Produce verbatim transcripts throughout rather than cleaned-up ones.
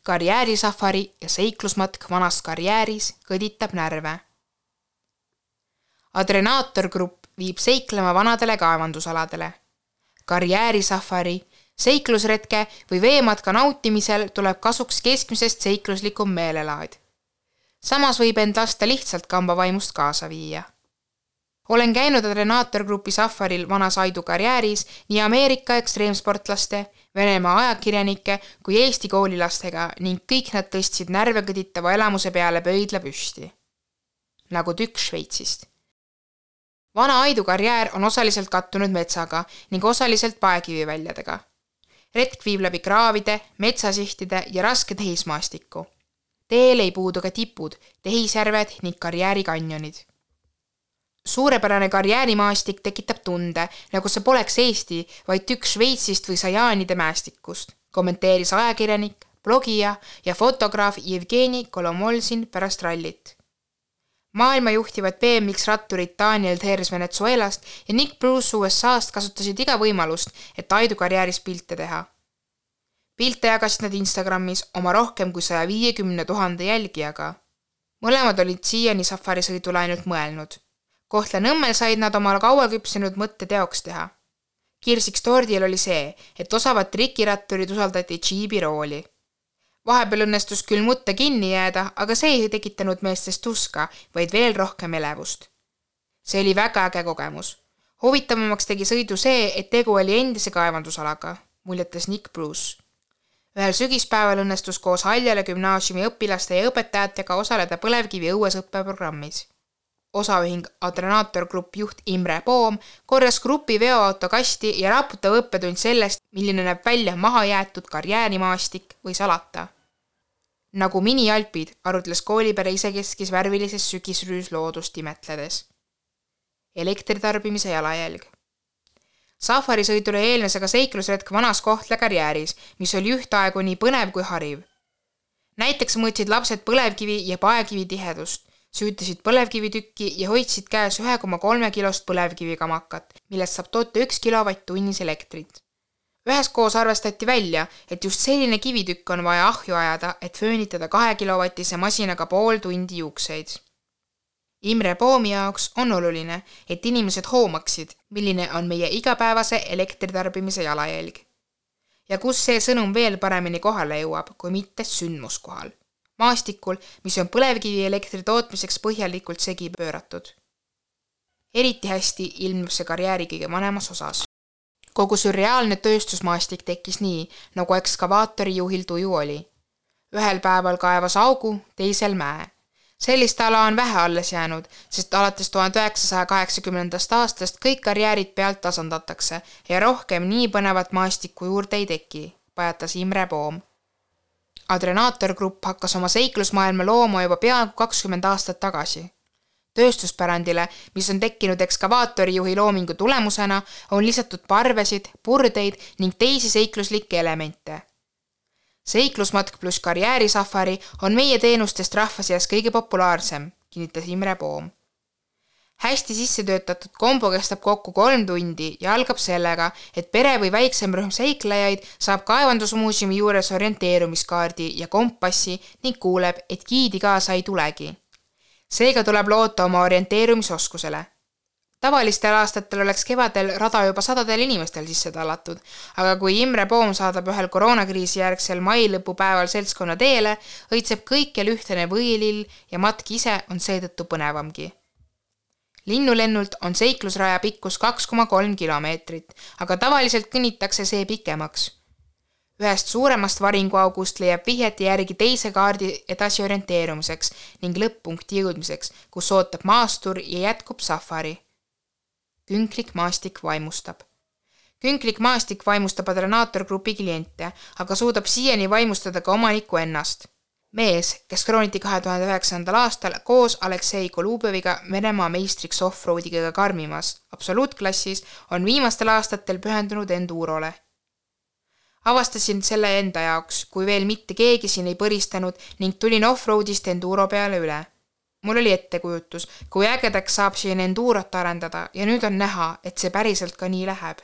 karjäärisafari ja seiklusmatk vanas karjääris kõditab närve. Adrenaator Grupp viib seiklema vanadele kaevandusaladele. Karjäärisafari, seiklusretke või veematka nautimisel tuleb kasuks keskmisest seikluslikum meelelaad. Samas võib end lasta lihtsalt kambavaimust kaasa viia. Olen käinud Adrenaator Grupi safaril vanas Aidu karjääris nii Ameerika ekstreemsportlaste, Venemaa ajakirjanike kui Eesti koolilastega ning kõik nad tõstsid närve kõditava elamuse peale pöidla püsti. Nagu tükk Šveitsist. Vana Aidu karjäär on osaliselt kattunud metsaga ning osaliselt paekiviväljadega. Retk viib läbi kraavide, metsasihtide ja raske tehismaastikku. Teel ei puudu ka tipud, tehisjärved ning karjäärikanjonid. Suurepärane karjäärimaastik tekitab tunde, nagu see poleks Eesti, vaid tükk Šveitsist või Sajaanide mäestikust, kommenteeris ajakirjanik, blogija ja fotograaf Jevgeni Kolomolsin pärast rallit. Maailma juhtivad B M X-ratturid Daniel Thers Venezuelast ja Nick Bruce U S A-st kasutasid iga võimalust, et Aidu karjääris pilte teha. Pilte jagasid nad Instagramis oma rohkem kui saja viiekümne tuhande jälgijaga. Mõlemad olid siiani safarisõidule ainult mõelnud. Kohtla Nõmmel said nad oma kaua küpsenud mõtte teoks teha. Kirsiks tordil oli see, et osavad trikiratturid usaldati džiibi rooli. Vahepeal õnnestus küll mutta kinni jääda, aga see ei tekitanud meestest tuska, vaid veel rohkem elevust. See oli väga äge kogemus. Huvitavamaks tegi sõidu see, et tegu oli endise kaevandusalaga, muljetas Nick Bruce. Ühel sügispäeval õnnestus koos Haljale gümnaasiumi õpilaste ja õpetajatega osaleda põlevkivi õuesõppeprogrammis. Osaühing Adrenaator Grupp juht Imre Poom korjas grupi veoauto kasti ja raputav õppetund sellest, milline näeb välja maha jäetud karjäärimaastik või salata. Nagu mini-alpid, arutles koolipere isekeskis värvilises sügisrüüs loodust imetledes. Elektritarbimise jalajälg. Safarisõidule eelnes aga seiklusretk vanas Kohtla karjääris, mis oli ühtaegu nii põnev kui hariv. Näiteks mõõtsid lapsed põlevkivi ja paekivi tihedust, süütasid põlevkivitükki ja hoidsid käes ühe koma kolme kilost põlevkivikamakat, millest saab toota üks kilovatt tunnis elektrit. Üheskoos arvestati välja, et just selline kivitükk on vaja ahju ajada, et föönitada kahe kilovatise masinaga pool tundi juukseid. Imre Poomi jaoks on oluline, et inimesed hoomaksid, milline on meie igapäevase elektritarbimise jalajälg. Ja kus see sõnum veel paremini kohale jõuab, kui mitte sündmuskohal. Maastikul, mis on põlevkivi elektri tootmiseks põhjalikult segi pööratud. Eriti hästi ilmub see karjääri kõige vanemas osas. Kogu sürreaalne tööstusmaastik tekkis nii, nagu ekskavaatori juhil tuju oli. Ühel päeval kaevas augu, teisel mäe. Sellist ala on vähe alles jäänud, sest alates tuhande üheksasaja kaheksakümnendast aastast kõik karjäärid pealt tasandatakse ja rohkem nii põnevat maastikku juurde ei teki, pajatas Imre Poom. Adrenaator Grupp hakkas oma seiklusmaailma looma juba peaaegu kakskümmend aastat tagasi. Tööstuspärandile, mis on tekkinud ekskavaatori juhi loomingu tulemusena, on lisatud parvesid, purdeid ning teisi seikluslikke elemente. Seiklusmatk pluss karjäärisafari on meie teenustest rahva seas kõige populaarsem, kinnitas Imre Poom. Hästi sisse töötatud kombo kestab kokku kolm tundi ja algab sellega, et pere või väiksem rühm seiklejaid saab kaevandusmuuseumi juures orienteerumiskaardi ja kompassi ning kuuleb, et giidi kaasa ei tulegi. Seega tuleb loota oma orienteerumisoskusele. Tavalistel aastatel oleks kevadel rada juba sadadel inimestel sisse tallatud, aga kui Imre Poom saadab ühel koroonakriisi järgsel mailõpupäeval seltskonna teele, õitseb kõikjal ühtene võilill ja matk ise on seetõttu põnevamgi. Linnulennult on seiklusraja pikkus kaks koma kolm kilomeetrit, aga tavaliselt kõnnitakse see pikemaks. Ühest suuremast varinguaugust leiab vihjeti järgi teise kaardi edasi orienteerumiseks ning lõpp-punkti jõudmiseks, kus ootab maastur ja jätkub safari. Künklik maastik vaimustab. Künklik maastik vaimustab Adrenaator Grupi kliente, aga suudab siiani vaimustada ka omaniku ennast. Mees, kes krooniti kahe tuhande üheksandal aastal koos Aleksei Kolubjeviga Venemaa meistriks offroadiga karmimas absoluutklassis, on viimastel aastatel pühendunud enduurole. Avastasin selle enda jaoks, kui veel mitte keegi siin ei põristanud ning tulin offroadist enduuro peale üle. Mul oli ettekujutus, kui ägedaks saab siin enduurot arendada ja nüüd on näha, et see päriselt ka nii läheb.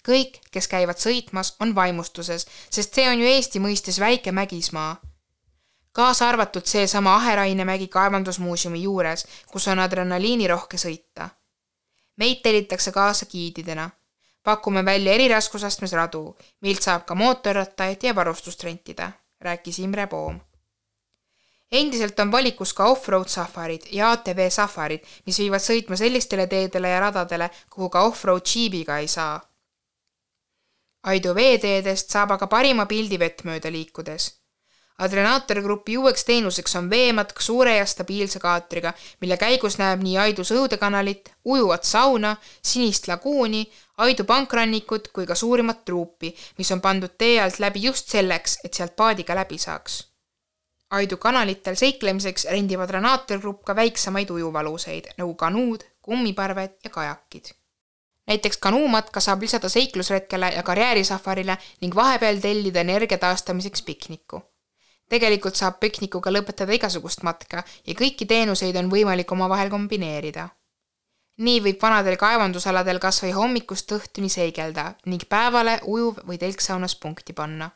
Kõik, kes käivad sõitmas, on vaimustuses, sest see on ju Eesti mõistes väike mägismaa. Kaasa arvatud see sama Aherainemägi kaevandusmuuseumi juures, kus on adrenaliinirohke sõita. Meid tellitakse kaasa giididena. Pakume välja eri raskusastmes radu, milt saab ka mootorrattaid ja varustust rentida, rääkis Imre Poom. Endiselt on valikus ka off-road safarid ja A T V safarid, mis viivad sõitma sellistele teedele ja radadele, kuhu ka off-road džiibiga ei saa. Aidu veeteedest saab aga parima pildi vett mööda liikudes. Adrenaator grupi uueks teenuseks on veematk suure ja stabiilse kaatriga, mille käigus näeb nii Aidu sõudekanalit, ujuvat sauna, sinist laguuni, Aidu pankrannikut kui ka suurimat truupi, mis on pandud tee alt läbi just selleks, et sealt paadiga läbi saaks. Aidu kanalitel seiklemiseks rendib Adrenaator grupp ka väiksemaid ujuvaluseid, nagu kanuud, kummiparved ja kajakid. Näiteks kanuumatka saab lisada seiklusretkele ja karjäärisafarile ning vahepeal tellida energia taastamiseks pikniku. Tegelikult saab piknikuga lõpetada igasugust matka ja kõiki teenuseid on võimalik oma vahel kombineerida. Nii võib vanadel kaevandusaladel kas või hommikust õhtuni seigelda ning päevale ujuv või telksaunas punkti panna.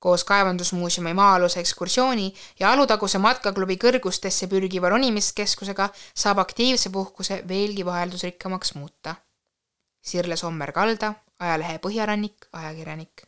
Koos kaevandusmuuseumi maa-aluse ekskursiooni ja Alutaguse matkaklubi kõrgustesse pürgiva ronimiskeskusega saab aktiivse puhkuse veelgi vaheldusrikkamaks muuta. Sirle Sommer-Kalda, ajalehe Põhjarannik, ajakirjanik.